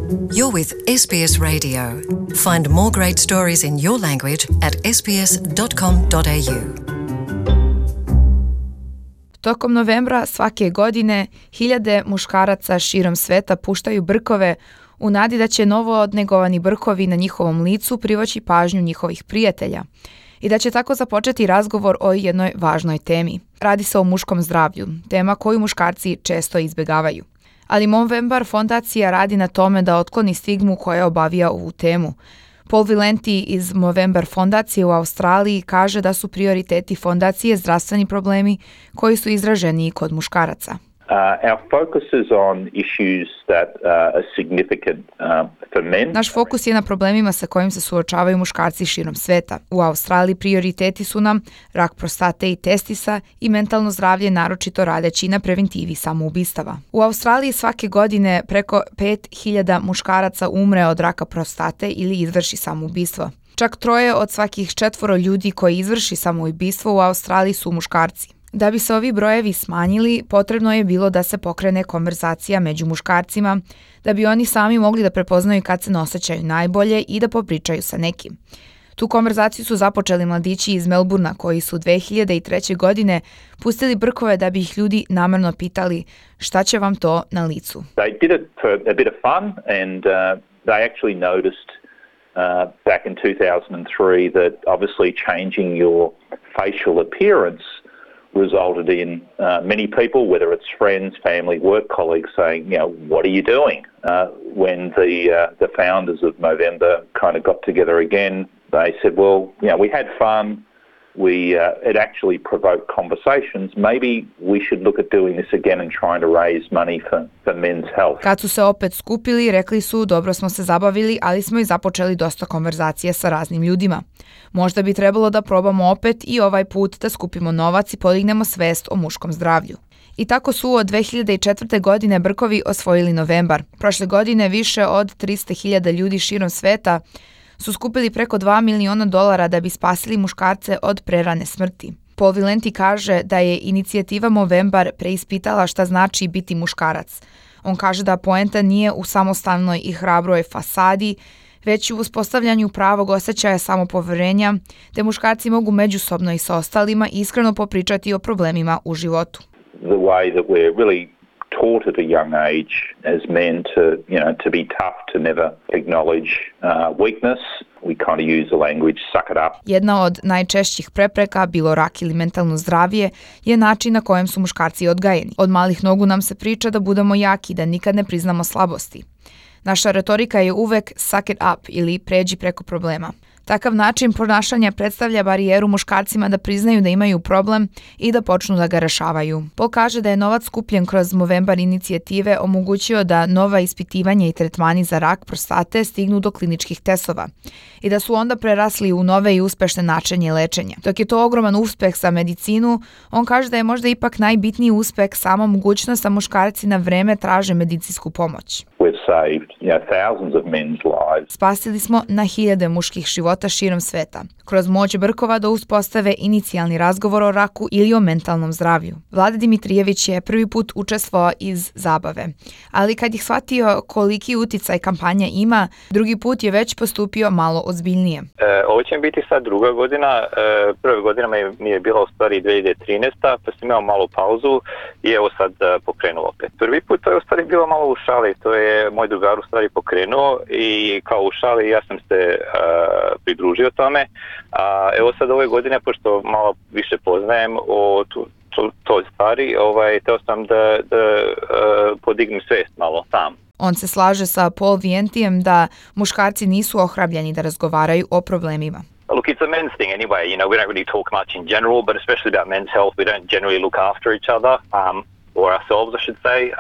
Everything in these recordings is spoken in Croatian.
You're with SBS Radio. Find more great stories in your language at sbs.com.au. Tokom novembra svake godine hiljade muškaraca širom sveta puštaju brkove u nadi da će novo odnegovani brkovi na njihovom licu privući pažnju njihovih prijatelja i da će tako započeti razgovor o jednoj važnoj temi. Radi se o muškom zdravlju, tema koju muškarci često izbjegavaju. Ali Movember fondacija radi na tome da otkloni stigmu koja obavija ovu temu. Paul Valenti iz Movember fondacije u Australiji kaže da su prioriteti fondacije zdravstveni problemi koji su izraženiji kod muškaraca. Our focus is on issues that are significant for men. Naš fokus je na problemima sa kojim se suočavaju muškarci širom sveta. U Australiji prioriteti su nam rak prostate i testisa i mentalno zdravlje, naročito radeći na preventivi samoubistava. U Australiji svake godine preko 5.000 muškaraca umre od raka prostate ili izvrši samoubistvo. Čak 3 od svakih 4 ljudi koji izvrši samoubistvo u Australiji su muškarci. Da bi se ovi brojevi smanjili, potrebno je bilo da se pokrene konverzacija među muškarcima, da bi oni sami mogli da prepoznaju kad se ne osjećaju najbolje i da popričaju sa nekim. Tu konverzaciju su započeli mladići iz Melburna koji su 2003. godine pustili brkove da bi ih ljudi namerno pitali šta će vam to na licu. They did it for a bit of fun and they actually noticed back in 2003 that obviously changing your facial appearance resulted in many people, whether it's friends, family, work colleagues, saying, what are you doing? When the founders of Movember kind of got together again, they said, well, we had fun. It actually provoked conversations. Maybe we should look at doing this again and trying to raise money for men's health. Kad su se opet skupili, rekli su dobro smo se zabavili, ali smo i započeli dosta konverzacije sa raznim ljudima. Možda bi trebalo da probamo opet i ovaj put da skupimo novac i podignemo svest o muškom zdravlju. I tako su od 2004. godine brkovi osvojili Novembar. Prošle godine više od 300.000 ljudi širom sveta su skupili preko $2 miliona da bi spasili muškarce od prerane smrti. Paul Valenti kaže da je inicijativa Movember preispitala šta znači biti muškarac. On kaže da poenta nije u samostalnoj i hrabroj fasadi, već u uspostavljanju pravog osjećaja samopoverenja, te muškarci mogu međusobno i sa ostalima iskreno popričati o problemima u životu. The way that we're really taught at a young age as men to be tough, to never acknowledge weakness. We kind of use the language suck it up. Jedna od najčešćih prepreka, bilo rak ili mentalno zdravlje, je način na kojem su muškarci odgajeni. Od malih nogu nam se priča da budemo jaki, da nikad ne priznamo slabosti. Naša retorika je uvek suck it up ili pređi preko problema. Takav način ponašanja predstavlja barijeru muškarcima da priznaju da imaju problem i da počnu da ga rešavaju. Paul kaže da je novac skupljen kroz Movember inicijative omogućio da nova ispitivanja i tretmani za rak prostate stignu do kliničkih testova i da su onda prerasli u nove i uspešne načine lečenja. Dok je to ogroman uspeh za medicinu, on kaže da je možda ipak najbitniji uspeh sama mogućnost da muškarci na vreme traže medicinsku pomoć. Thousands of men's lives. Spasili smo na hiljade muških života širom sveta, kroz moć brkova da uspostave inicijalni razgovor o raku ili o mentalnom zdravlju. Vlada Dimitrijević je prvi put učestvovao iz zabave, ali kad je shvatio koliki uticaj kampanja ima, drugi put je već postupio malo ozbiljnije. Ovo će mi biti sad druga godina, prva godina mi je bila u stvari 2013. Pa sam imao malu pauzu i evo sad pokrenuo opet. Prvi put to je u stvari bilo malo u šali, to je moj drugar u stvari pokrenuo i kao u šali ja sam se pridružio tome. Evo sad ove godine, pošto malo više poznajem o toj stvari, teo sam da podignem svest malo sam. On se slaže sa Paul Valentijem da muškarci nisu ohrabljeni da razgovaraju o problemima. Look, it's a men's thing anyway. We don't really talk much in general, but especially about men's health, we don't generally look after each other. Or ourselves, I should say.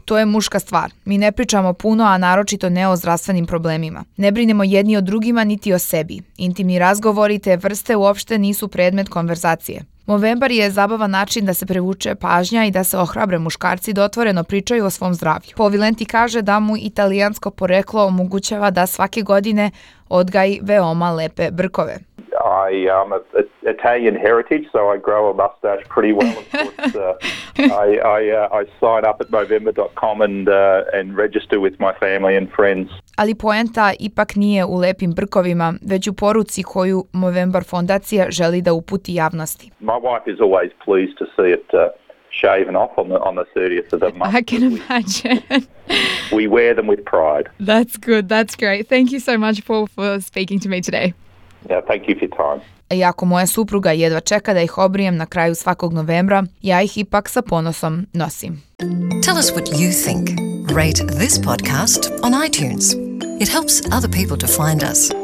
To je muška stvar. Mi ne pričamo puno, a naročito ne o zdravstvenim problemima. Ne brinemo jedni o drugima niti o sebi. Intimni razgovori te vrste uopšte nisu predmet konverzacije. Movember je zabavan način da se privuče pažnja i da se ohrabre muškarci da otvoreno pričaju o svom zdravlju. Paul Valenti kaže da mu italijansko poreklo omogućava da svake godine odgaji veoma lepe brkove. I'm of Italian heritage, so I grow a mustache pretty well. Of course, I sign up at Movember.com and register with my family and friends. Ali poenta ipak nije u lepim brkovima, već u poruci koju Movember fondacija želi da uputi javnosti. My wife is always pleased to see it shaven off on the 30th of the month. I can imagine. We wear them with pride. That's good. That's great. Thank you so much, Paul, for speaking to me today. Yeah, thank you for your time. Iako moja supruga jedva čeka da ih obrijem na kraju svakog novembra, ja ih ipak sa ponosom nosim. Tell us what you think. Rate this podcast on iTunes. It helps other people to find us.